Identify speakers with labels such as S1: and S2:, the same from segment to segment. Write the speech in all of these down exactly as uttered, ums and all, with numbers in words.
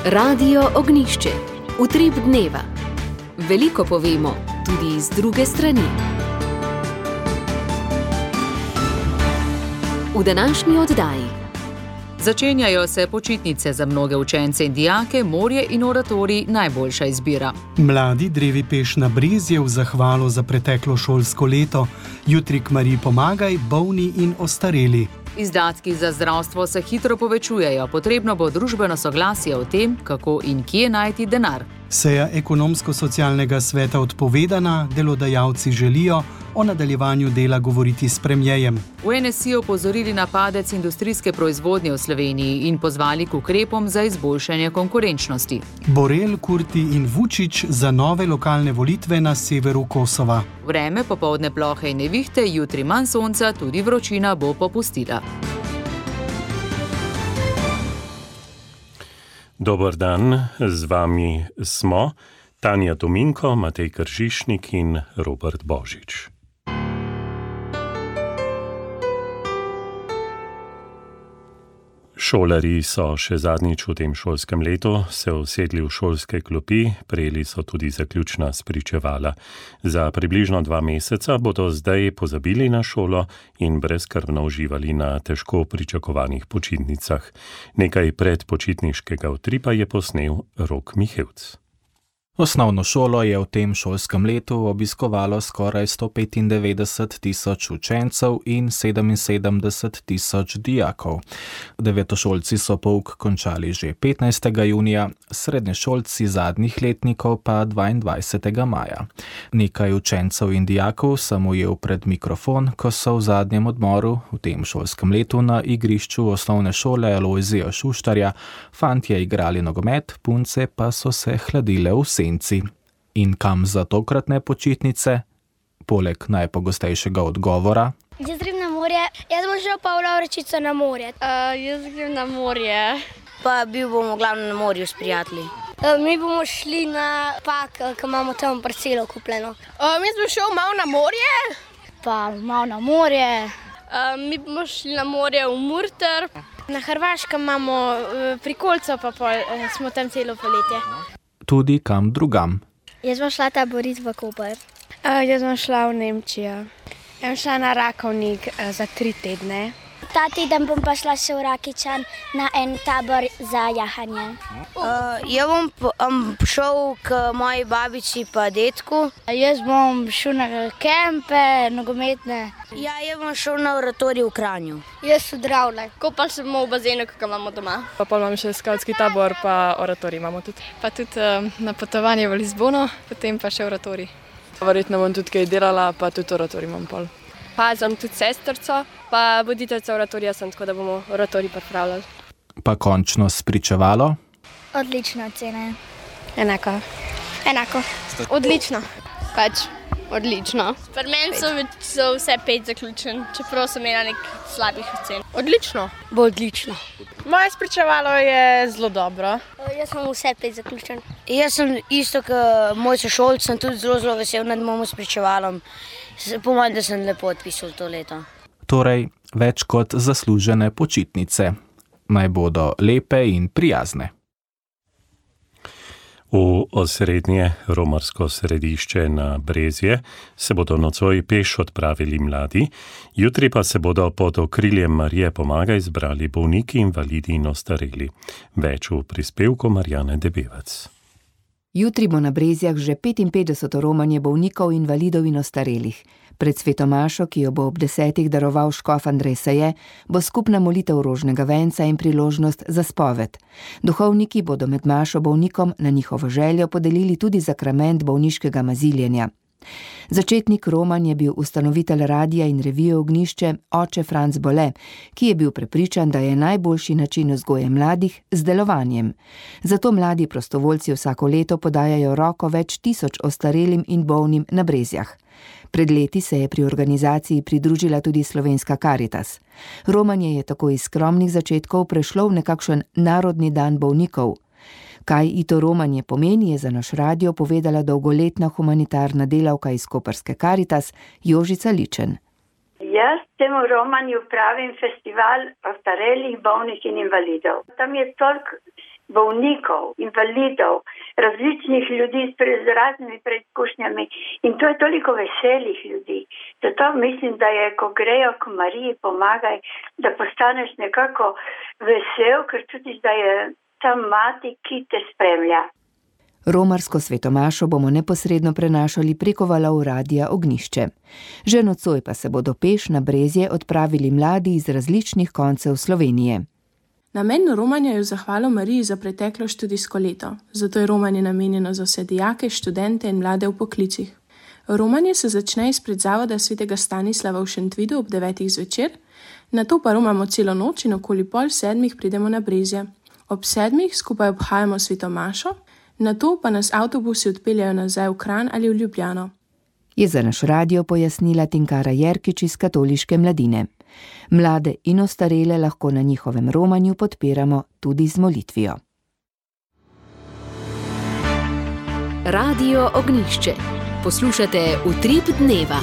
S1: Radio Ognjišče. Utrip dneva. Veliko povemo, tudi iz druge strani. V današnji oddaji.
S2: Začenjajo se počitnice za mnoge učence in dijake, morje in oratorij najboljša izbira.
S3: Mladi drevi peš na Brezje v zahvalo za preteklo šolsko leto. Jutri kmari pomagaj, bolni in ostareli.
S2: Izdatki za zdravstvo se hitro povečujejo, potrebno bo družbeno soglasje o tem, kako in kje najti denar.
S3: Seja ekonomsko-socialnega sveta odpovedana, delodajalci želijo o nadaljevanju dela govoriti s premierjem.
S2: V N S I opozorili na padec industrijske proizvodnje v Sloveniji in pozvali k ukrepom za izboljšanje konkurenčnosti.
S3: Borel, Kurti in Vučić za nove lokalne volitve na severu Kosova.
S2: Vreme, popoldne plohe in nevihte, jutri manj sonca, tudi vročina bo popustila.
S4: Dober dan, z vami smo Tanja Tominko, Matej Kržišnik in Robert Božič. Šolarji so še zadnjič v tem šolskem letu se usedli v šolske klopi, prejeli so tudi zaključna spričevala. Za približno dva meseca bodo zdaj pozabili na šolo in brezskrbno uživali na težko pričakovanih počitnicah. Nekaj predpočitniškega utripa je posnel Rok Mihevc.
S5: Osnovno šolo je v tem šolskem letu obiskovalo skoraj sto petindevetdeset tisoč učencev in sedeminsedemdeset tisoč dijakov. Devetošolci so pouk končali že petnajstega junija, srednješolci zadnjih letnikov pa dvaindvajsetega maja. Nekaj učencev in dijakov sem ujel pred mikrofon, ko so v zadnjem odmoru v tem šolskem letu na igrišču osnovne šole Alojzija Šuštarja fantje igrali nogomet, punce pa so se hladile v senci. In kam za tokratne počitnice? Poleg najpogostejšega odgovora.
S6: Jaz grem na morje. Jaz bom šel pa v Lavrečico na morje. Uh, jaz grem na morje.
S7: Pa bil bomo glavno na morju s prijatelji.
S6: Uh, mi bomo šli na pak, ki imamo tam parcelo kupljeno.
S8: Uh, mi smo šel malo na morje.
S6: Pa malo na morje.
S8: Uh, mi bomo šli na morje v Murter.
S9: Na Hrvaškem imamo uh, prikolico, pa pol, uh, smo tam celo poletje.
S5: Tudi kam drugam.
S6: Jaz bom šla taborit v Koper.
S9: Uh, jaz bom šla v Nemčijo. Jaz bom šla na Rakovnik uh, za tri tedne.
S6: Ta teden bom pa šla še v Rakičan na en tabor za jahanje.
S7: Uh, jaz bom um, šel k moji babici pa detku.
S6: Jaz bom šel na kempe, nogometne.
S7: Ja, jaz bom šel na oratorij v Kranju.
S6: Jaz v Dravle.
S8: Kopal se bomo v bazenu, ki ga imamo doma.
S10: Pa pol imam še skavtski tabor, pa oratorij imamo tudi. Pa tudi um, na potovanje v Lizbono, potem pa še oratorij. Verjetno bom tudi kaj delala, pa tudi oratorij imam pol.
S8: Pa sem tudi sestrco, pa voditeljica oratorija sem, tako da bomo oratorij pripravljali.
S5: Pa končno spričevalo?
S6: Odlična ocena.
S9: Enako.
S8: Enako.
S9: Odlično.
S8: Pač odlično. Pri meni so, so vse pet zaključen, čeprav sem imela nek slabih ocen.
S9: Odlično.
S7: Bo odlično.
S10: Moje spričevalo je zelo dobro.
S6: Jaz sem vse pet zaključen.
S7: Jaz sem isto kot moj sošolc, sem tudi zelo, zelo vesel nad mojim spričevalom. Pomaga, da sem lepo odpisal to leto.
S5: Torej, več kot zaslužene počitnice. Naj bodo lepe in prijazne.
S4: V osrednje romarsko središče na Brezje se bodo nocoj peš odpravili mladi, jutri pa se bodo pod okriljem Marije Pomagaj zbrali bolniki, invalidi in ostareli. Več v prispevku Marjane Debevec.
S11: Jutri bo na Brezjah že petinpetdeseto romanje bolnikov, invalidov in ostarelih. Pred svetomašo, ki jo bo ob desetih daroval škof Andrej Saje, bo skupna molitev rožnega venca in priložnost za spoved. Duhovniki bodo med mašo bolnikom na njihovo željo podelili tudi zakrament bolniškega maziljenja. Začetnik romanj je bil ustanovitelj radia in revije Ognjišče, oče Franc Bole, ki je bil prepričan, da je najboljši način vzgoje mladih z delovanjem. Zato mladi prostovoljci vsako leto podajajo roko več tisoč ostarelim in bolnim na Brezjah. Pred leti se je pri organizaciji pridružila tudi Slovenska Karitas. Romanje je tako iz skromnih začetkov prešlo v nekakšen narodni dan bolnikov. Kaj ito romanje pomeni, je za naš radio povedala dolgoletna humanitarna delavka iz koprske Karitas Jožica Ličen.
S12: Jaz temu romanju pravim festival ostarelih, bolnih in invalidov. Tam je toliko bolnikov, invalidov, različnih ljudi z raznimi preizkušnjami in to je toliko veselih ljudi. Zato mislim, da je, ko grejo k Mariji pomagaj, da postaneš nekako vesel, ker čutiš, da je ta mati, ki te spremlja.
S11: Romarsko svetomašo bomo neposredno prenašali preko valov Radia Ognjišče. Že nocoj pa se bodo peš na Brezje odpravili mladi iz različnih koncev Slovenije.
S13: Namen romanja je v zahvalo Mariji za preteklo študijsko leto, zato je romanje namenjeno za vse dijake, študente in mlade v poklicih. Romanje se začne izpred zavoda svetega Stanislava v Šentvidu ob devetih zvečer, nato pa romamo celo noč in okoli pol sedmih pridemo na Brezje. Ob sedmih skupaj obhajamo svetomašo, nato pa nas avtobusi odpeljajo nazaj v Kranj ali v Ljubljano.
S11: Je za naš radio pojasnila Tinkara Jerkič iz Katoliške mladine. Mlade in ostarele lahko na njihovem romanju podpiramo tudi z molitvijo.
S1: Radio Ognjišče. Poslušate Utrip dneva.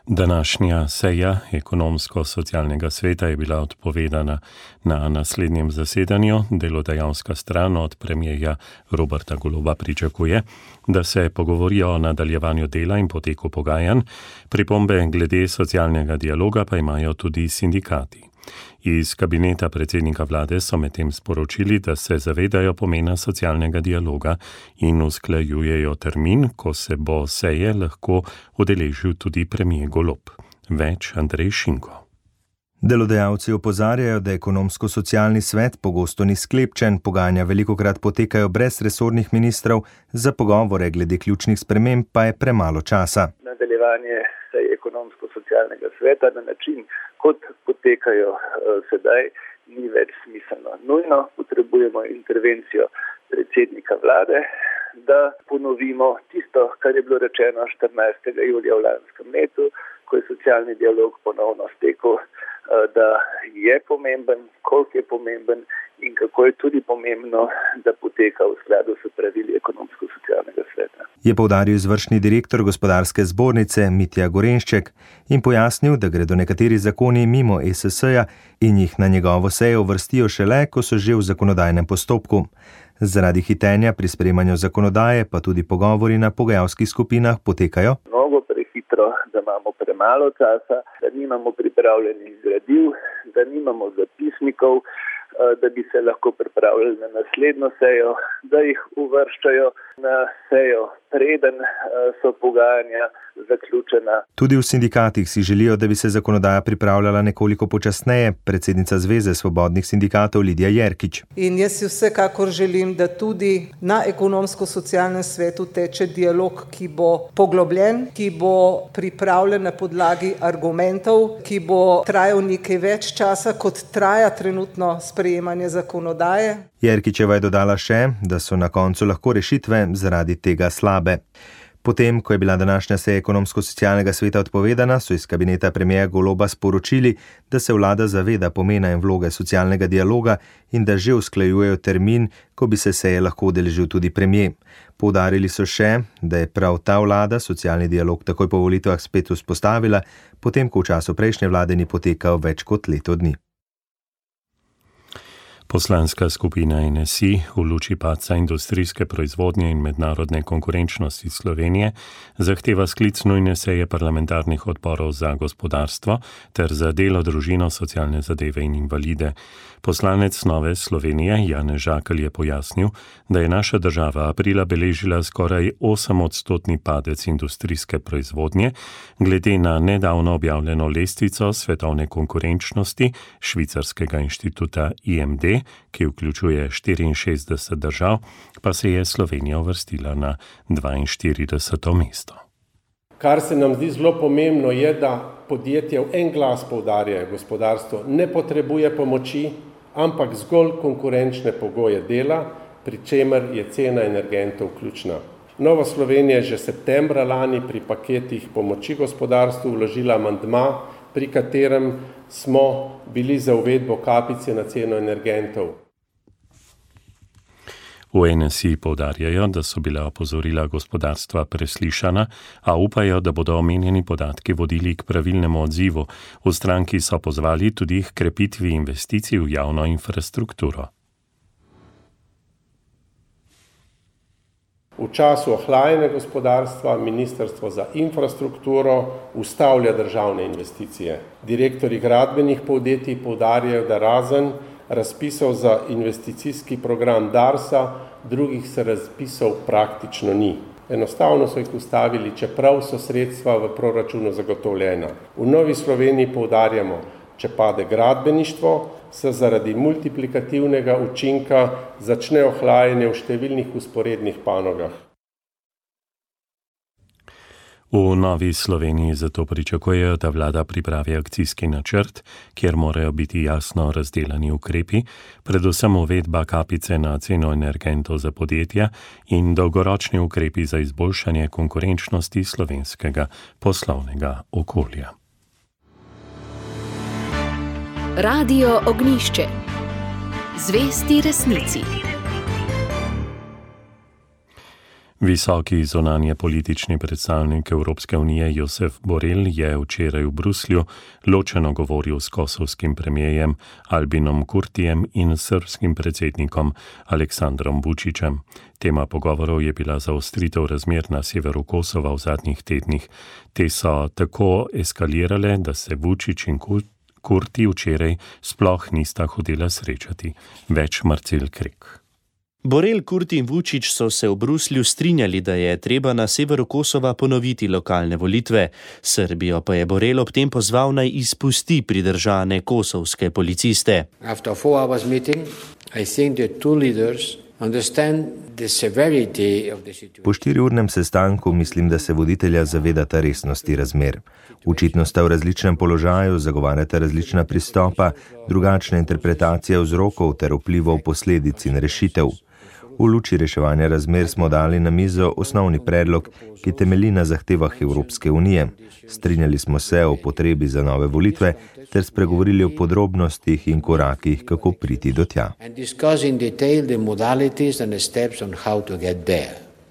S4: Današnja seja ekonomsko-socialnega sveta je bila odpovedana. Na naslednjem zasedanju delodajalska stran od premierja Roberta Goloba pričakuje, da se pogovorijo o nadaljevanju dela in poteku pogajanj, pripombe glede socialnega dialoga pa imajo tudi sindikati. Iz kabineta predsednika vlade so medtem sporočili, da se zavedajo pomena socialnega dialoga in usklajujejo termin, ko se bo seje lahko udeležil tudi premier Golob. Več Andrej Šinko.
S14: Delodajalci opozarjajo, da ekonomsko-socialni svet pogosto ni sklepčen, pogajanja velikokrat potekajo brez resornih ministrov, za pogovore glede ključnih sprememb pa je premalo časa.
S15: Nadaljevanje seje ekonomsko-socialnega sveta na način, kot potekajo uh, sedaj, ni več smiselno. Nujno potrebujemo intervencijo predsednika vlade, da ponovimo tisto, kar je bilo rečeno štirinajstega julija v lanskem letu, ko je socialni dialog ponovno stekel, uh, da je pomemben, koliko je pomemben in kako je tudi pomembno, da poteka v skladu s pravili ekonomsko-socialnega sveta.
S14: Je poudaril izvršni direktor gospodarske zbornice Mitja Gorenšček in pojasnil, da gredo nekateri zakoni mimo E S S-ja in jih na njegovo sejo uvrstijo šele, ko so že v zakonodajnem postopku. Zaradi hitenja pri sprejemanju zakonodaje pa tudi pogovori na pogajalskih skupinah potekajo
S15: mnogo prehitro, da imamo premalo časa, da nimamo pripravljenih gradiv, da nimamo zapisnikov, da bi se lahko pripravljali na naslednjo sejo, da jih uvrščajo na sejo, preden so pogajanja zaključena.
S14: Tudi v sindikatih si želijo, da bi se zakonodaja pripravljala nekoliko počasneje, predsednica Zveze svobodnih sindikatov Lidija Jerkič.
S16: In jaz si vsekakor želim, da tudi na ekonomsko-socialnem svetu teče dialog, ki bo poglobljen, ki bo pripravljen na podlagi argumentov, ki bo trajal nekaj več časa, kot traja trenutno sprejemanje zakonodaje.
S14: Jerkičeva je dodala še, da so na koncu lahko rešitve zaradi tega slabe. Potem, ko je bila današnja seja ekonomsko-socialnega sveta odpovedana, so iz kabineta premierja Goloba sporočili, da se vlada zaveda pomena in vloge socialnega dialoga in da že usklajujejo termin, ko bi se seje lahko udeležil tudi premier. Poudarili so še, da je prav ta vlada socialni dialog takoj po volitvah spet vzpostavila, potem ko v času prejšnje vlade ni potekal več kot leto dni.
S4: Poslanska skupina N S I v luči padca industrijske proizvodnje in mednarodne konkurenčnosti Slovenije zahteva sklic nujne seje parlamentarnih odborov za gospodarstvo ter za delo, družino, socialne zadeve in invalide. Poslanec Nove Slovenije Janez Žakelj je pojasnil, da je naša država aprila beležila skoraj osemodstotni padec industrijske proizvodnje, glede na nedavno objavljeno lestvico svetovne konkurenčnosti švicarskega inštituta I M D, ki vključuje štiriinšestdeset držav, pa se je Slovenija uvrstila na dvainštirideseto mesto.
S17: Kar se nam zdi zelo pomembno je, da podjetja v en glas poudarjajo, gospodarstvo ne potrebuje pomoči, ampak zgolj konkurenčne pogoje dela, pri čemer je cena energentov ključna. Nova Slovenija je že septembra lani pri paketih pomoči gospodarstvu vložila amandma, pri katerem smo bili za uvedbo kapice na ceno energentov.
S4: V N S I poudarjajo, da so bila opozorila gospodarstva preslišana, a upajo, da bodo omenjeni podatki vodili k pravilnemu odzivu. V stranki so pozvali tudi k krepitvi investicij v javno infrastrukturo.
S17: V času ohlajanja gospodarstva Ministrstvo za infrastrukturo ustavlja državne investicije. Direktorji gradbenih podjetij poudarjajo, da razen razpisov za investicijski program Darsa, drugih se razpisov praktično ni. Enostavno so jih ustavili, čeprav so sredstva v proračunu zagotovljena. V Novi Sloveniji poudarjamo, če pade gradbeništvo, se zaradi multiplikativnega učinka začne ohlajanje v številnih usporednih panogah.
S4: V Novi Sloveniji zato pričakujejo, da vlada pripravi akcijski načrt, kjer morajo biti jasno razdelani ukrepi, predvsem uvedba kapice na ceno energentov za podjetja in dolgoročni ukrepi za izboljšanje konkurenčnosti slovenskega poslovnega okolja.
S1: Radio Ognjišče. Zvesti resnici.
S4: Visoki zunanje politični predstavnik Evropske unije Josep Borrell je včeraj v Bruslju ločeno govoril s kosovskim premijerjem Albinom Kurtijem in srbskim predsednikom Aleksandrom Vučićem. Tema pogovorov je bila zaostritev razmer na severu Kosova v zadnjih tednih. Te so tako eskalirale, da se Vučić in Kurti včeraj sploh nista hodila srečati. Več Marcel Krek.
S18: Borrell, Kurti in Vučić so se v Bruslju strinjali, da je treba na severu Kosova ponoviti lokalne volitve. Srbijo pa je Borrell ob tem pozval naj izpusti pridržane kosovske policiste.
S19: After four hours meeting, I think the two leaders understand the severity of the situation.
S14: Po štiriurnem sestanku mislim, da se voditelja zavedata resnosti razmer. Očitno sta v različnem položaju, zagovarjata različna pristopa, drugačna interpretacija vzrokov ter vplivov posledic in rešitev. V luči reševanja razmer smo dali na mizo osnovni predlog, ki temelji na zahtevah Evropske unije. Strinjali smo se o potrebi za nove volitve ter spregovorili o podrobnostih in korakih, kako priti do tja.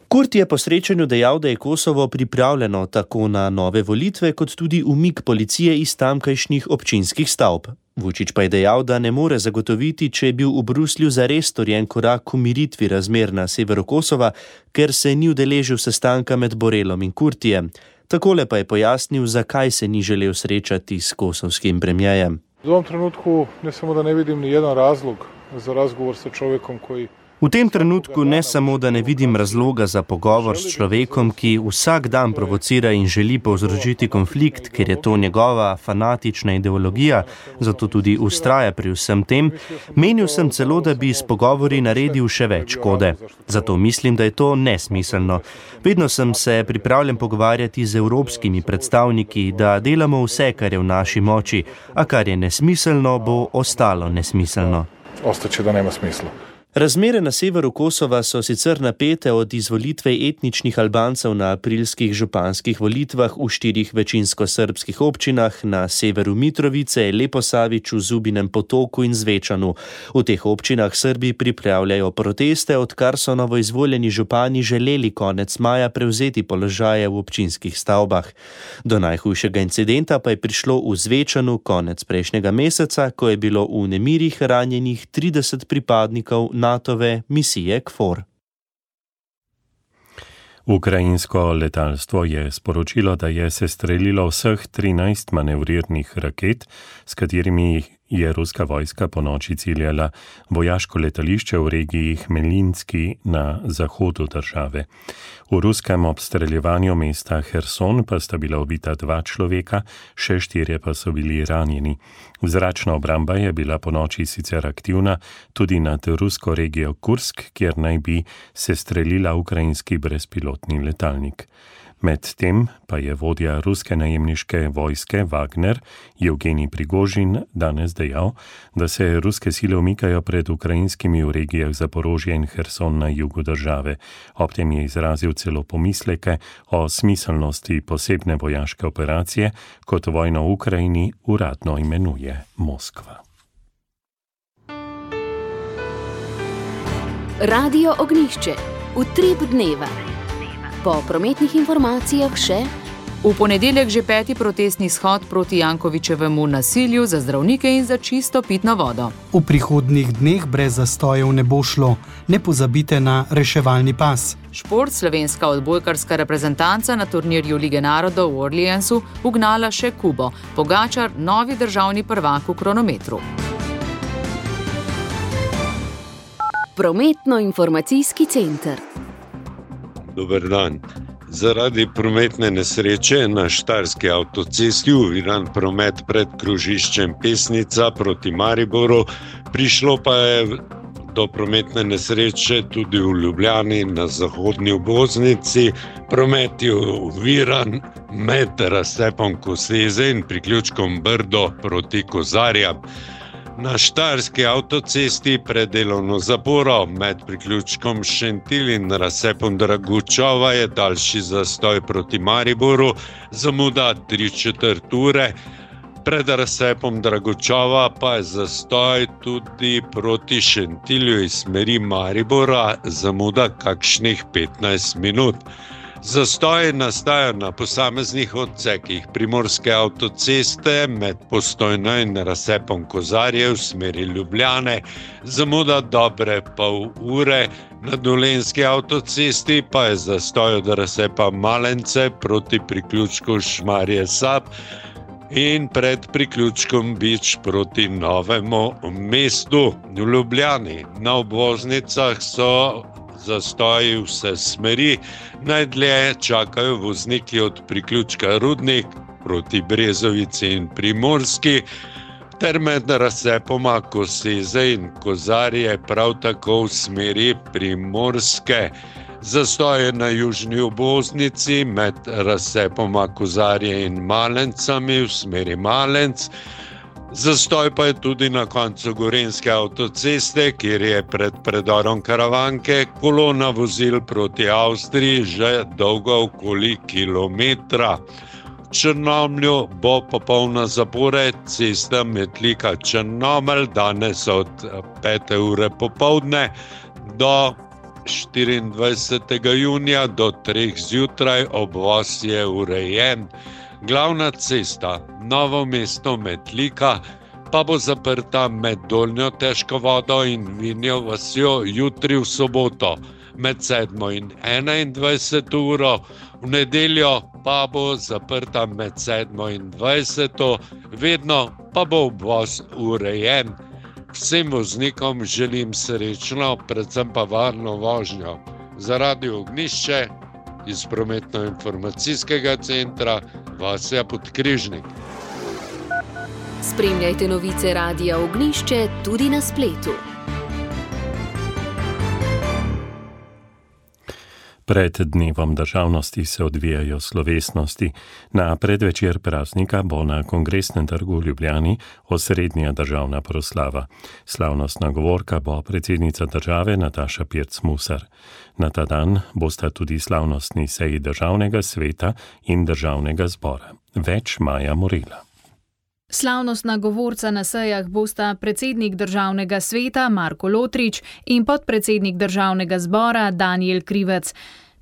S18: Kurti je po srečanju dejal, da je Kosovo pripravljeno tako na nove volitve, kot tudi umik policije iz tamkajšnjih občinskih stavb. Vučić pa je dejal, da ne more zagotoviti, če je bil v Bruslju zares storjen korak k umiritvi razmer na severu Kosova, ker se ni udeležil sestanka med Borrellom in Kurtijem. Takole pa je pojasnil, zakaj se ni želel srečati s kosovskim premijejem.
S20: V ovom trenutku ne samo, da ne vidim ni jedan razlog za razgovor sa čovjekom koji...
S18: V tem trenutku ne samo, da ne vidim razloga za pogovor s človekom, ki vsak dan provocira in želi povzročiti konflikt, ker je to njegova fanatična ideologija, zato tudi ustraja pri vsem tem. Menil sem celo, da bi s pogovori naredil še več škode. Zato mislim, da je to nesmiselno. Vedno sem se pripravljen pogovarjati z evropskimi predstavniki, da delamo vse, kar je v naši moči, a kar je nesmiselno, bo ostalo nesmiselno.
S20: Ostaće da nema smisla.
S18: Razmere na severu Kosova so sicer napete od izvolitve etničnih Albancev na aprilskih županskih volitvah v štirih večinsko srbskih občinah na severu Mitrovice, Leposaviću, Zubinem Potoku in Zvečanu. V teh občinah Srbi pripravljajo proteste, odkar so novoizvoljeni župani želeli konec maja prevzeti položaje v občinskih stavbah. Do najhujšega incidenta pa je prišlo v Zvečanu konec prejšnjega meseca, ko je bilo v nemirih ranjenih trideset pripadnikov NATO-ve misije K F O R.
S4: Ukrajinsko letalstvo je sporočilo, da je sestrelilo vseh trinajst manevrirnih raket, s katerimi je ruska vojska ponoči ciljala vojaško letališče v regiji Hmelinski na zahodu države. V ruskem obstreljevanju mesta Herson pa sta bila ubita dva človeka, še štirje pa so bili ranjeni. Zračna obramba je bila ponoči sicer aktivna tudi nad rusko regijo Kursk, kjer naj bi sestrelila ukrajinski brezpilotni letalnik. Medtem pa je vodja ruske najemniške vojske Wagner, Evgenij Prigožin, danes dejal, da se ruske sile umikajo pred ukrajinskimi v regijah Zaporožje in Herson na jugu države. Ob tem je izrazil celo pomisleke o smiselnosti posebne vojaške operacije, kot vojno v Ukrajini uradno imenuje Moskva.
S1: Radio Ognišče, utrip dneva. Po prometnih informacijah še:
S2: v ponedeljek že peti protestni shod proti Jankovićevemu nasilju za zdravnike in za čisto pitno vodo.
S3: V prihodnjih dneh brez zastojev ne bo šlo. Ne pozabite na reševalni pas.
S2: Šport, slovenska odbojkarska reprezentanca na turnirju Lige narodov v Orleansu ugnala še Kubo. Pogačar, novi državni prvak v kronometru.
S1: Prometno-informacijski center.
S21: Dober dan. Zaradi prometne nesreče na Štajerski avtocesti oviran promet pred krožiščem Pesnica proti Mariboru, prišlo pa je do prometne nesreče tudi v Ljubljani na zahodni obvoznici. Promet je oviran med razcepom Koseze in priključkom Brdo proti Kozarjam. Na Štajerski avtocesti pred delovno zaporo med priključkom Šentilj in razcepom Dragučova je daljši zastoj proti Mariboru, zamuda tri četrt ure. Pred razcepom Dragučova pa je zastoj tudi proti Šentilju iz smeri Maribora, zamuda kakšnih petnajst minut. Zastoji nastajajo na posameznih odsekih Primorske avtoceste med Postojno in razcepom Kozarje v smeri Ljubljane, zamuda dobre pol ure. Na Dolenjski avtocesti pa je zastoj od razcepa Malence proti priključku Šmarje Sab in pred priključkom Bič proti Novemu mestu. V Ljubljani na obvoznicah so zastoji vse smeri, najdlje čakajo vozniki od priključka Rudnik proti Brezovici in Primorski, ter med razcepoma Koseze in Kozarje prav tako v smeri Primorske. Zastoje na južni obvoznici med razcepoma Kozarje in Malencami v smeri Malenc. Zastoj pa je tudi na koncu Gorenjske avtoceste, kjer je pred predorom Karavanke kolona vozil proti Avstriji že dolga okoli kilometra. V Črnomlju bo popolna zapora cesta Metlika-Črnomelj danes od pete ure popoldne do štiriindvajsetega junija do treh zjutraj. Obvoz je urejen. Glavna cesta Novo mesto Metlika pa bo zaprta med Dolnjo Težko vodo in Vinjo vasjo jutri v soboto med sedmo in enaindvajseto uro, v nedeljo pa bo zaprta med sedmo in dvajseto, vedno pa bo obvoz urejen. Vsem voznikom želim srečno, predvsem pa varno vožnjo. Za Radio Ognišče iz prometno-informacijskega centra Vasja Podkrižnik.
S1: Spremljajte novice Radia Ognišče tudi na spletu.
S4: Pred dnevom državnosti se odvijajo slovesnosti. Na predvečer praznika bo na Kongresnem trgu v Ljubljani osrednja državna proslava. Slavnostna govorka bo predsednica države Nataša Pirc-Musar. Na ta dan bosta tudi slavnostni seji državnega sveta in državnega zbora. Več Maja Morela.
S22: Slavnostna govorca na sejah bosta predsednik državnega sveta Marko Lotrič in podpredsednik državnega zbora Danijel Krivec.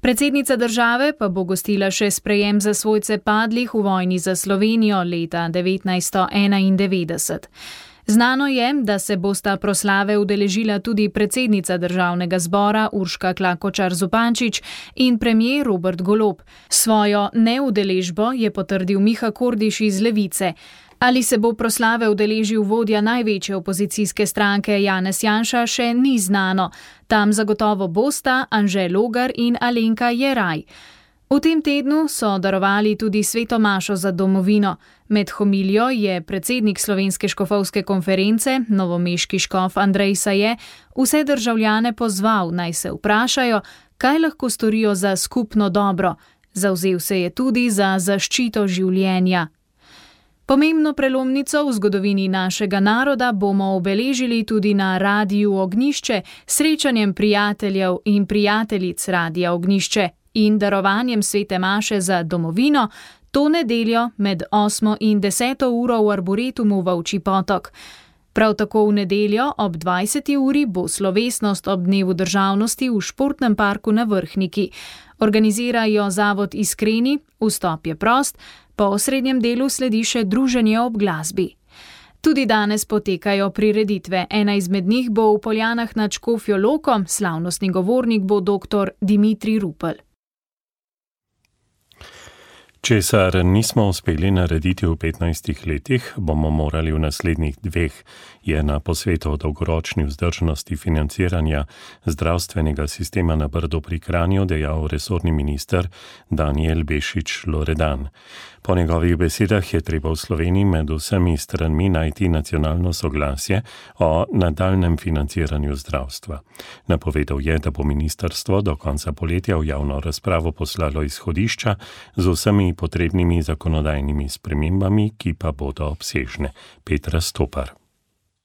S22: Predsednica države pa bo gostila še sprejem za svojce padlih v vojni za Slovenijo leta devetnajststo enaindevetdeset. Znano je, da se bosta proslave udeležila tudi predsednica državnega zbora Urška Klakočar Zupančič in premier Robert Golob. Svojo neudeležbo je potrdil Miha Kordiš iz Levice. Ali se bo proslave udeležil vodja največje opozicijske stranke Janez Janša, še ni znano. Tam zagotovo bosta Anže Logar in Alenka Jeraj. V tem tednu so darovali tudi sveto mašo za domovino. Med homilijo je predsednik Slovenske škofovske konference, novomeški škof Andrej Saje, vse državljane pozval, naj se vprašajo, kaj lahko storijo za skupno dobro. Zavzel se je tudi za zaščito življenja. Pomembno prelomnico v zgodovini našega naroda bomo obeležili tudi na Radiu Ognišče, srečanjem prijateljev in prijateljic Radia Ognišče in darovanjem svete maše za domovino to nedeljo med osmo in deseto uro v Arboretumu Volčji Potok. Prav tako v nedeljo ob dvajseti uri bo slovesnost ob dnevu državnosti v športnem parku na Vrhniki. Organizirajo zavod Iskreni, vstop je prost, po osrednjem delu sledi še druženje ob glasbi. Tudi danes potekajo prireditve. Ena izmed njih bo v Poljanah nad Škofjo Loko, slavnostni govornik bo doktor Dimitrij Rupel.
S4: Česar nismo uspeli narediti v petnajstih letih, bomo morali v naslednjih dveh, je na posvetu o dolgoročni vzdržnosti financiranja zdravstvenega sistema na Brdu pri Kranju dejal resorni minister Danijel Bešič Loredan. Po njegovih besedah je treba v Sloveniji med vsemi stranmi najti nacionalno soglasje o nadaljnem financiranju zdravstva. Napovedal je, da bo ministrstvo do konca poletja v javno razpravo poslalo izhodišča z vsemi potrebnimi zakonodajnimi spremembami, ki pa bodo obsežne. Petra Stopar.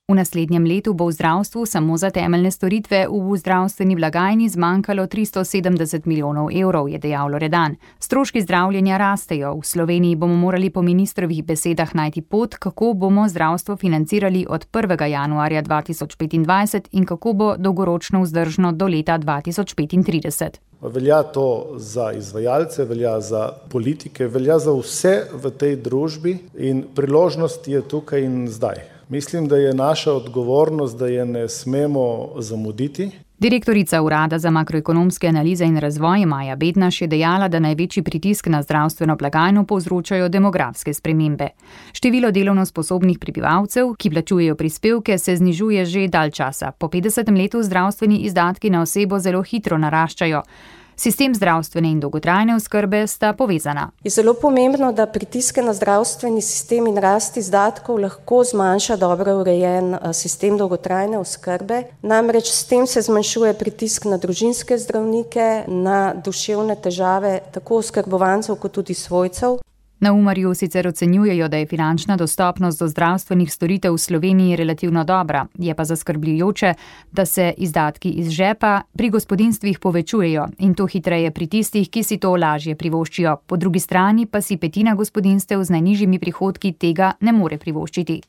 S8: V naslednjem letu bo v zdravstvu samo za temeljne storitve v zdravstveni blagajni zmanjkalo tristo sedemdeset milijonov evrov, je dejal Loredan. Stroški zdravljenja rastejo. V Sloveniji bomo morali po ministrovih besedah najti pot, kako bomo zdravstvo financirali od prvega januarja dva tisoč petindvajset in kako bo dolgoročno vzdržno do leta dva tisoč petintrideset.
S9: Velja to za izvajalce, velja za politike, velja za vse v tej družbi in priložnost je tukaj in zdaj. Mislim, da je naša odgovornost, da je ne smemo zamuditi.
S8: Direktorica Urada za makroekonomske analize in razvoj Maja Bednaš je dejala, da največji pritisk na zdravstveno blagajno povzročajo demografske spremembe. Število delovno sposobnih prebivalcev, ki plačujejo prispevke, se znižuje že dalj časa. Po petdesetem letu zdravstveni izdatki na osebo zelo hitro naraščajo. Sistem zdravstvene in dolgotrajne oskrbe sta povezana.
S23: Je zelo pomembno, da pritiske na zdravstveni sistem in rast izdatkov lahko zmanjša dobro urejen sistem dolgotrajne oskrbe. Namreč s tem se zmanjšuje pritisk na družinske zdravnike, na duševne težave tako oskrbovancev kot tudi svojcev.
S8: Na Umarju sicer ocenjujejo, da je finančna dostopnost do zdravstvenih storitev v Sloveniji relativno dobra, je pa zaskrbljujoče, da se izdatki iz žepa pri gospodinjstvih povečujejo in to hitreje pri tistih, ki si to lažje privoščijo. Po drugi strani pa si petina gospodinjstev z najnižjimi prihodki tega ne more privoščiti.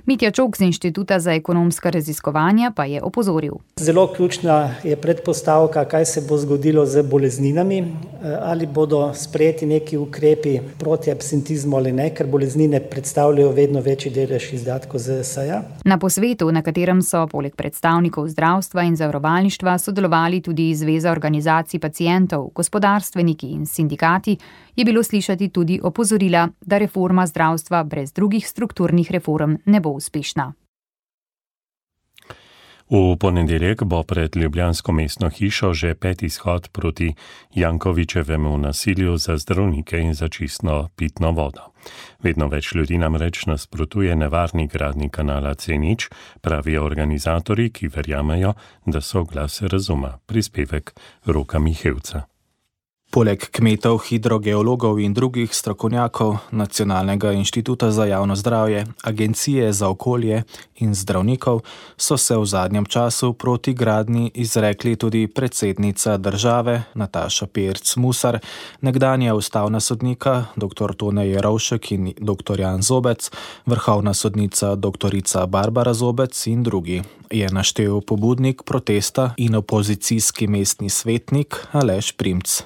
S8: Mitja Čok z Inštituta za ekonomska raziskovanja pa je opozoril.
S24: Zelo ključna je predpostavka, kaj se bo zgodilo z bolezninami, ali bodo sprejeti neki ukrepi proti absentizmu ali ne, ker boleznine predstavljajo vedno večji delež izdatkov Z S A.
S8: Na posvetu, na katerem so poleg predstavnikov zdravstva in zavarovalništva sodelovali tudi Zveza organizacij pacientov, gospodarstveniki in sindikati, je bilo slišati tudi opozorila, da reforma zdravstva brez drugih strukturnih reform ne bo uspešna.
S4: V ponedeljek bo pred ljubljansko mestno hišo že peti shod proti Jankovićevemu nasilju za zdravnike in za čistno pitno vodo. Vedno več ljudi namreč nasprotuje nevarni gradnji kanala C nič, pravijo organizatorji, ki verjamejo, da so glas razuma. Prispevek Roka Mihevca.
S5: Poleg kmetov, hidrogeologov in drugih strokovnjakov Nacionalnega inštituta za javno zdravje, Agencije za okolje in zdravnikov so se v zadnjem času proti gradnji izrekli tudi predsednica države Nataša Pirc Musar, nekdanja ustavna sodnika dr. Tone Jerovšek in dr. Jan Zobec, vrhovna sodnica dr. Barbara Zobec in drugi, je naštel pobudnik protesta in opozicijski mestni svetnik Aleš Primc.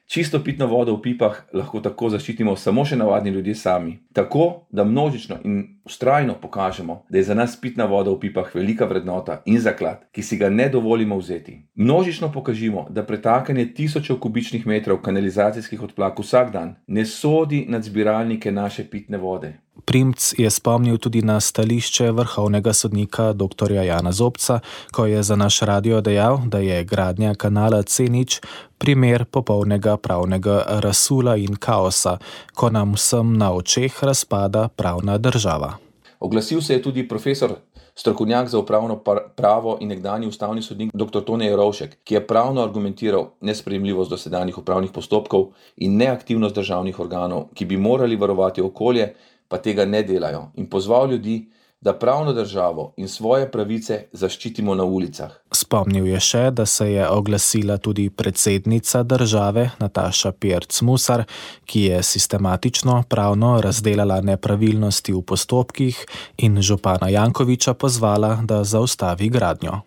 S25: Čisto pitno vodo v pipah lahko tako zaščitimo samo še navadni ljudje sami. Tako, da množično in vztrajno pokažemo, da je za nas pitna voda v pipah velika vrednota in zaklad, ki si ga ne dovolimo vzeti. Množično pokažimo, da pretakanje tisočev kubičnih metrov kanalizacijskih odplak vsak dan ne sodi nad zbiralnike naše pitne vode.
S5: Primc je spomnil tudi na stališče vrhovnega sodnika dr. Jana Zobca, ko je za naš radio dejal, da je gradnja kanala C nič primer popolnega pravnega razsula in kaosa, ko nam vsem na očeh razpada pravna država.
S25: Oglasil se je tudi profesor, strokovnjak za upravno pravo in nekdanji ustavni sodnik dr. Tone Jerovšek, ki je pravno argumentiral nesprejemljivost dosedanjih upravnih postopkov in neaktivnost državnih organov, ki bi morali varovati okolje, pa tega ne delajo, in pozval ljudi, da pravno državo in svoje pravice zaščitimo na ulicah.
S5: Spomnil je še, da se je oglasila tudi predsednica države Nataša Pirc Musar, ki je sistematično pravno razdelala nepravilnosti v postopkih in župana Jankoviča pozvala, da zaustavi gradnjo.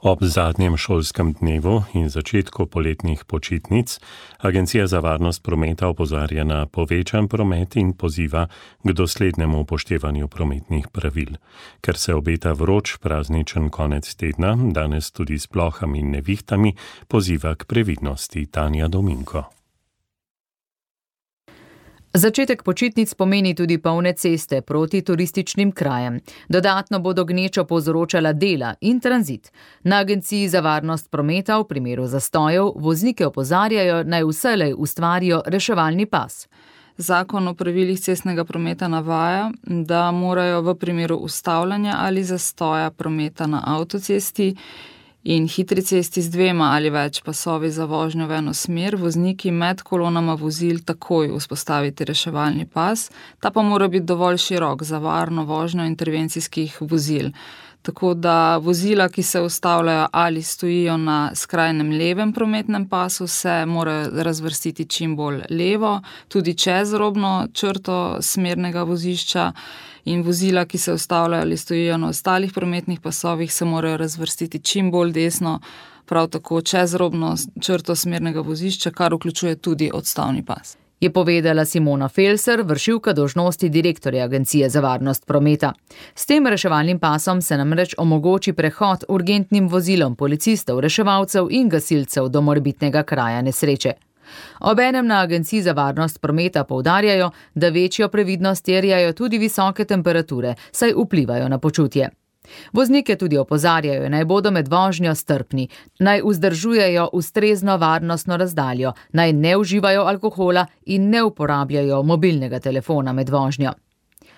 S4: Ob zadnjem šolskem dnevu in začetku poletnih počitnic Agencija za varnost prometa opozarja na povečan promet in poziva k doslednemu upoštevanju prometnih pravil. Ker se obeta vroč prazničen konec tedna, danes tudi s plohami in nevihtami, poziva k previdnosti. Tanja Dominko.
S2: Začetek počitnic pomeni tudi polne ceste proti turističnim krajem. Dodatno bodo gnečo povzročala dela in tranzit. Na Agenciji za varnost prometa v primeru zastojev voznike opozarjajo, naj vselej ustvarijo reševalni pas.
S6: Zakon o pravilih cestnega prometa navaja, da morajo v primeru ustavljanja ali zastoja prometa na avtocesti in hitri cesti z dvema ali več pasovi za vožnjo v eno smer vozniki med kolonama vozil takoj vzpostaviti reševalni pas, ta pa mora biti dovolj širok za varno vožnjo intervencijskih vozil. Tako da vozila, ki se ustavljajo ali stojijo na skrajnem levem prometnem pasu, se morajo razvrstiti čim bolj levo, tudi čez robno črto smernega vozišča, in vozila, ki se ustavljajo ali stojijo na ostalih prometnih pasovih, se morajo razvrstiti čim bolj desno, prav tako čez robno črto smernega vozišča, kar vključuje tudi odstavni pas.
S2: Je povedala Simona Felser, vršilka dolžnosti direktorja Agencije za varnost prometa. S tem reševalnim pasom se namreč omogoči prehod urgentnim vozilom policistov, reševalcev in gasilcev do morebitnega kraja nesreče. Obenem na Agenciji za varnost prometa poudarjajo, da večjo previdnost terjajo tudi visoke temperature, saj vplivajo na počutje. Voznike tudi opozarjajo, naj bodo med vožnjo strpni, naj vzdržujejo ustrezno varnostno razdaljo, naj ne uživajo alkohola in ne uporabljajo mobilnega telefona med vožnjo.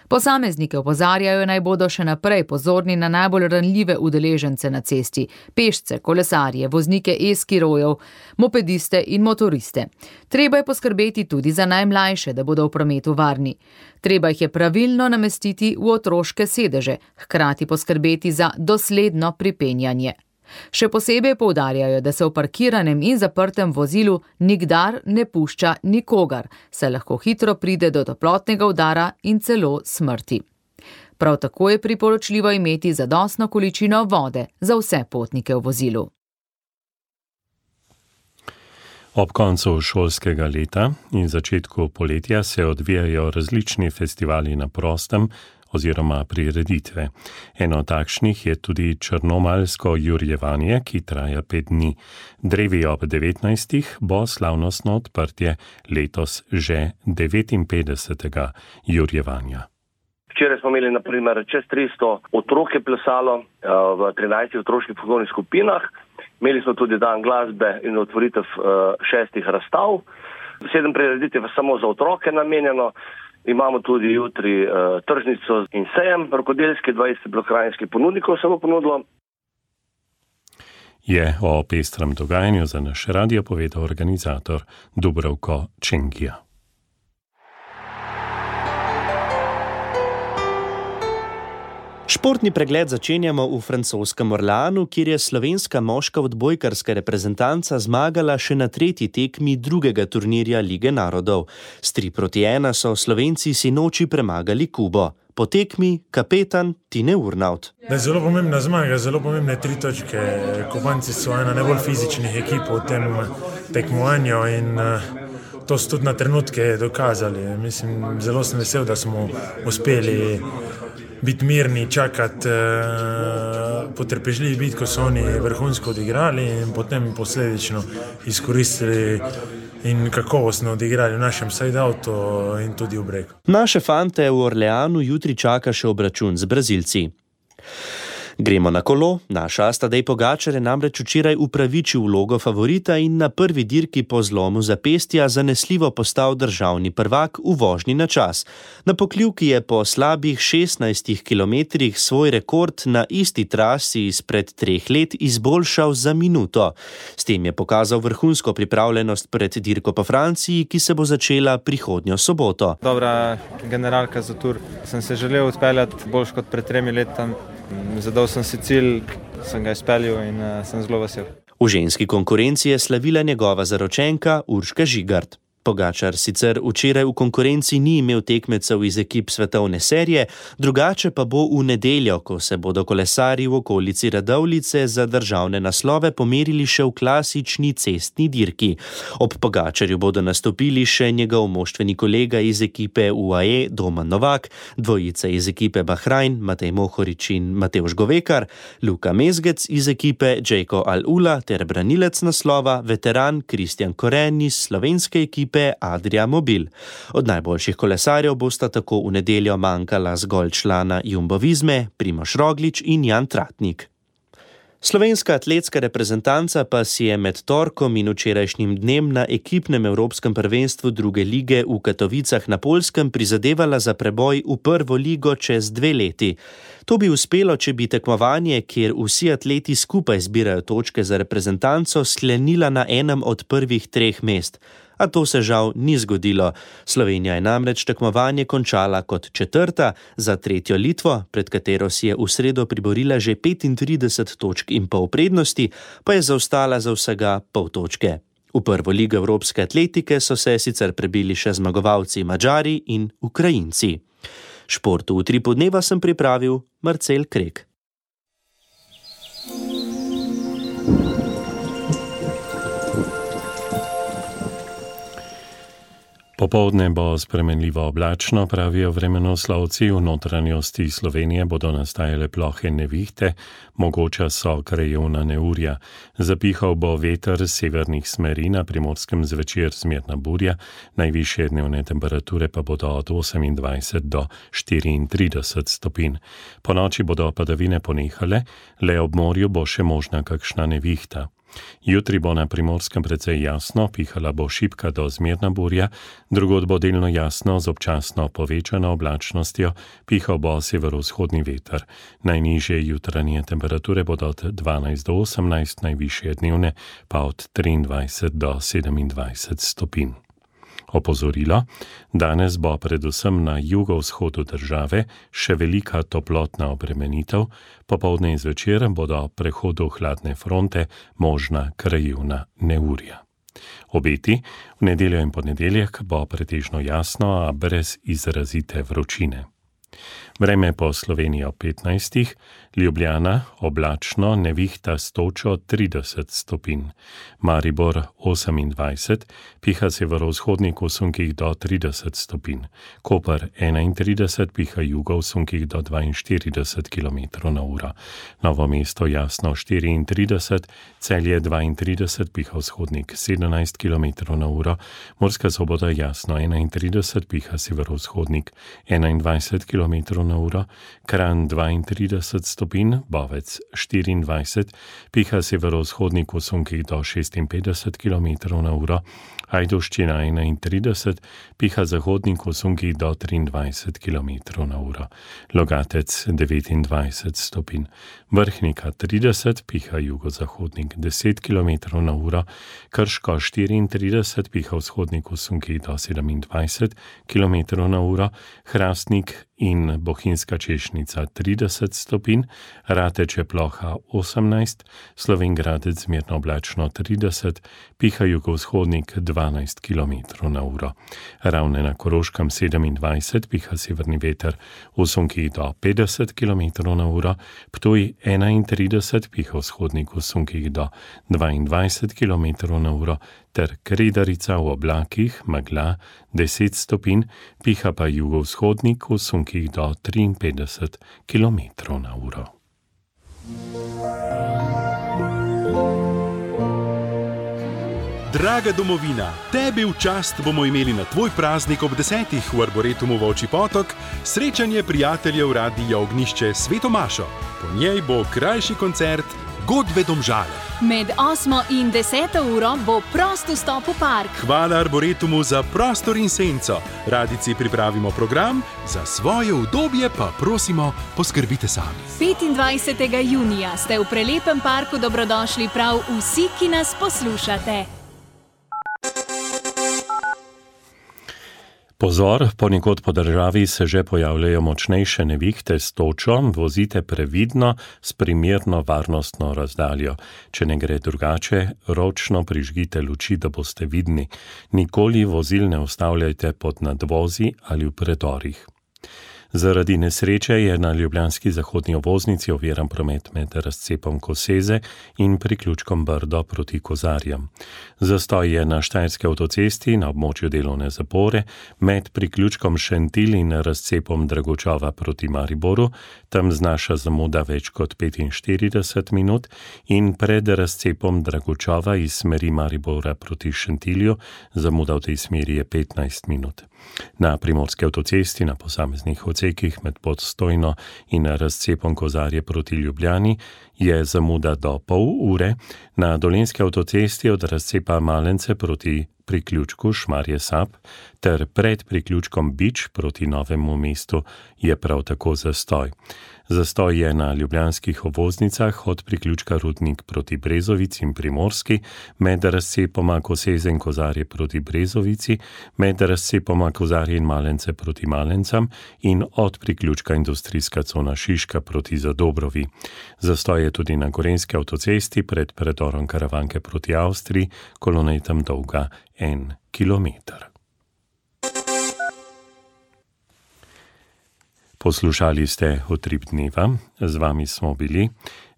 S2: Posameznike opozarjajo, naj bodo še naprej pozorni na najbolj ranljive udeležence na cesti, pešce, kolesarje, voznike e-skirojev, mopediste in motoriste. Treba je poskrbeti tudi za najmlajše, da bodo v prometu varni. Treba jih je pravilno namestiti v otroške sedeže, hkrati poskrbeti za dosledno pripenjanje. Še posebej poudarjajo, da se v parkiranem in zaprtem vozilu nikdar ne pušča nikogar, saj lahko hitro pride do toplotnega udara in celo smrti. Prav tako je priporočljivo imeti zadostno količino vode za vse potnike v vozilu.
S4: Ob koncu šolskega leta in začetku poletja se odvijajo različni festivali na prostem oziroma prireditve. Eno takšnih je tudi črnomaljsko jurjevanje, ki traja pet dni. Drevi ob devetnajstih bo slavnostno odprtje letos že devetinpetdesetega jurjevanja.
S7: Včeraj smo imeli na primer čez tristo otrok je plesalo v trinajstih otroških folklornih skupinah. Imeli smo tudi dan glasbe in otvoritev šestih razstav. Sedem prireditev je samo za otroke namenjeno. Imamo tudi jutri uh, tržnico in sejem, rokodelski, dvajset krajinskih ponudnikov se bo ponudilo.
S4: Je o pestrem dogajanju za naš radio povedal organizator Dubravko Čengija.
S18: Športni pregled začenjamo v francoskem Orleanu, kjer je slovenska moška odbojkarska reprezentanca zmagala še na tretji tekmi drugega turnirja Lige narodov. S tri proti ena so Slovenci sinoči premagali Kubo. Po tekmi kapetan Tine Urnaut.
S10: Da je zelo pomembna zmaga, zelo pomembne tri točke. Kubanci so ena najbolj fizičnih ekip v tem tekmovanju in to so tudi na trenutke dokazali. Mislim, zelo sem vesel, da smo uspeli biti mirni, čakati, potrpežljivi biti, ko so oni vrhunsko odigrali in potem posledično izkoristili in kakovostno odigrali v našem side-outu in tudi v breku.
S18: Naše fante v Orleanu jutri čaka še obračun z Brazilci. Gremo na kolo. Naš as Tadej Pogačar je namreč včeraj upravičil vlogo favorita in na prvi dirki po zlomu zapestja zanesljivo postal državni prvak v vožnji na čas. Na Pokljuki je po slabih šestnajstih kilometrih svoj rekord na isti trasi izpred treh let izboljšal za minuto. S tem je pokazal vrhunsko pripravljenost pred dirko po Franciji, ki se bo začela prihodnjo soboto.
S11: Dobra generalka za tur. Sem se želel odpeljati boljš kot pred tremi letam. Zadal sem si cilj, sem ga izpeljal in uh, sem zelo vesel.
S18: V ženski konkurenci je slavila njegova zaročenka Urška Žigart. Pogačar sicer včeraj v konkurenci ni imel tekmecev iz ekip svetovne serije, drugače pa bo v nedeljo, ko se bodo kolesarji v okolici Radovljice za državne naslove pomerili še v klasični cestni dirki. Ob Pogačarju bodo nastopili še njegov moštveni kolega iz ekipe U A E Domen Novak, dvojica iz ekipe Bahrain Matej Mohorič in Matevž Govekar, Luka Mezgec iz ekipe Džejko Al-Ula ter branilec naslova veteran Kristjan Koren iz slovenske ekipe Adria Mobil. Od najboljših kolesarjev bosta tako v nedeljo manjkala zgolj člana Jumbo Visme, Primož Roglič in Jan Tratnik. Slovenska atletska reprezentanca pa si je med torkom in včerajšnjim dnem na ekipnem evropskem prvenstvu druge lige v Katovicah na Poljskem prizadevala za preboj v prvo ligo čez dve leti. To bi uspelo, če bi tekmovanje, kjer vsi atleti skupaj zbirajo točke za reprezentanco, sklenila na enem od prvih treh mest. A to se žal ni zgodilo. Slovenija je namreč tekmovanje končala kot četrta, za tretjo Litvo, pred katero si je v sredo priborila že petintrideset točk in pol prednosti, pa je zaostala za vsega pol točke. V prvo ligo evropske atletike so se sicer prebili še zmagovalci Madžari in Ukrajinci. Športu v Utripu dneva sem pripravil Marcel Krek.
S4: Popoldne bo spremenljivo oblačno, pravijo vremenoslovci. V notranjosti Slovenije bodo nastajale plohe nevihte, mogoča so krajevna neurja. Zapihal bo veter severnih smeri, na Primorskem zvečer zmerna burja, najvišje dnevne temperature pa bodo od osemindvajset do štiriintrideset stopinj. Po noči bodo padavine ponehale, le ob morju bo še možna kakšna nevihta. Jutri bo na Primorskem precej jasno, pihala bo šibka do zmerna burja, drugod bo delno jasno z občasno povečano oblačnostjo, pihal bo severovzhodni veter. Najnižje jutranje temperature bodo od dvanajst do osemnajst, najvišje dnevne pa od triindvajset do sedemindvajset stopinj. Opozorilo, danes bo predvsem na jugovzhodu države še velika toplotna obremenitev, popoldne in zvečer bodo prehodu hladne fronte možna krajevna neurja. Obeti, v nedeljo in ponedeljek bo pretežno jasno, a brez izrazite vročine. Vreme po Sloveniji ob petnajstih, Ljubljana oblačno, nevihta s točo trideset stopinj, Maribor osemindvajset, piha severovzhodnik v sunkih do trideset stopinj, Koper enaintrideset, piha jugo v sunkih do dvainštirideset kilometrov na uro, Novo mesto jasno štiriintrideset, Celje dvaintrideset, piha vzhodnik sedemnajst kilometrov na uro, Murska Sobota jasno enaintrideset, piha severovzhodnik enaindvajset kilometrov na uro, Kranj dvaintrideset stopinj, Bovec štiriindvajset, piha severovzhodnik v sunkih do šestinpetdeset kilometrov na uro, Ajdovščina enaintrideset, piha zahodnik v sunkih do triindvajset kilometrov na uro, Logatec devetindvajset stopinj, Vrhnika trideset, piha jugozahodnik deset kilometrov na uro, Krško štiriintrideset, piha vzhodnik v sunkih do sedemindvajset kilometrov na uro, Hrastnik in Bohinjska Češnica trideset stopinj, Rateče ploha osemnajst, Slovenj Gradec zmerno oblačno trideset, piha jugovzhodnik dvanajst kilometrov na uro. Ravne na Koroškem sedemindvajset, piha severni veter v sunkih do petdeset kilometrov na uro, Ptuj enaintrideset, piha vzhodnik v sunkih do dvaindvajset kilometrov na uro, ter Kredarica v oblakih, megla deset stopinj, piha pa jugovzhodnik v sunkih do triinpetdeset kilometrov na uro.
S12: Draga domovina, tebi v čast bomo imeli na tvoj praznik ob desetih v Arboretumu Volčji potok srečanje prijateljev Radia Ognjišče s Sveto Mašo. Po njej bo krajši koncert Godbe Domžale.
S22: Med osmo in deseto uro bo prost vstop v park.
S12: Hvala Arboretumu za prostor in senco. Radici pripravimo program, za svoje udobje pa prosimo, poskrbite sami.
S22: petindvajsetega junija ste v prelepem parku dobrodošli prav vsi, ki nas poslušate.
S4: Pozor, ponekod po državi se že pojavljajo močnejše nevihte s točo, vozite previdno s primerno varnostno razdaljo. Če ne gre drugače, ročno prižgite luči, da boste vidni. Nikoli vozil ne ustavljajte pod nadvozi ali v predorih. Zaradi nesreče je na ljubljanski zahodni obvoznici oviran promet med razcepom Koseze in priključkom Brdo proti Kozarjem. Zastoj je na Štajerski avtocesti na območju delovne zapore med priključkom Šentilj in razcepom Dragočova proti Mariboru, tam znaša zamuda več kot petinštirideset minut, in pred razcepom Dragočova iz smeri Maribora proti Šentilju zamuda v tej smeri je petnajst minut. Na primorski avtocesti na posameznih odsekih med Podstojno in razcepom Kozarje proti Ljubljani je zamuda do pol ure, na dolenjski avtocesti od razcepa Malence proti priključku Šmarje Sap ter pred priključkom Bič proti Novemu mestu je prav tako zastoj. Zastoj je na ljubljanskih obvoznicah od priključka Rudnik proti Brezovici in Primorski, med razcepoma Koseze in Kozarje proti Brezovici, med razcepoma Kozarje in Malence proti Malencam in od priključka Industrijska cona Šiška proti Zadobrovi. Zastoj je tudi na gorenjski avtocesti pred predorom Karavanke proti Avstriji, kolona je tam dolga en kilometer. Poslušali ste Utrip dneva, z vami smo bili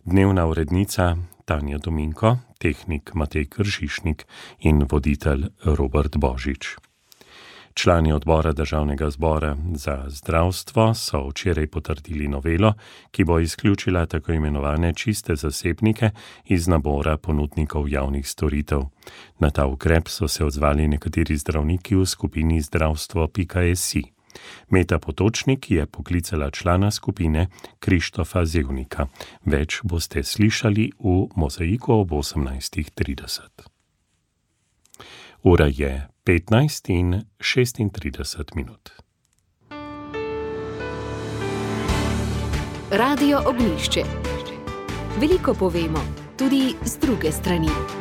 S4: dnevna urednica Tanja Dominko, tehnik Matej Kršišnik in voditelj Robert Božič. Člani odbora Državnega zbora za zdravstvo so včeraj potrdili novelo, ki bo izključila tako imenovane čiste zasebnike iz nabora ponudnikov javnih storitev. Na ta ukrep so se odzvali nekateri zdravniki v skupini zdravstvo pika si. Meta Potočnik je poklicala člana skupine Krištofa Zevnika. Več boste slišali v Mozaiku ob osemnajst trideset. Ura je petnajst in šestintrideset minut.
S1: Radio Ognjišče. Veliko povemo, tudi z druge strani.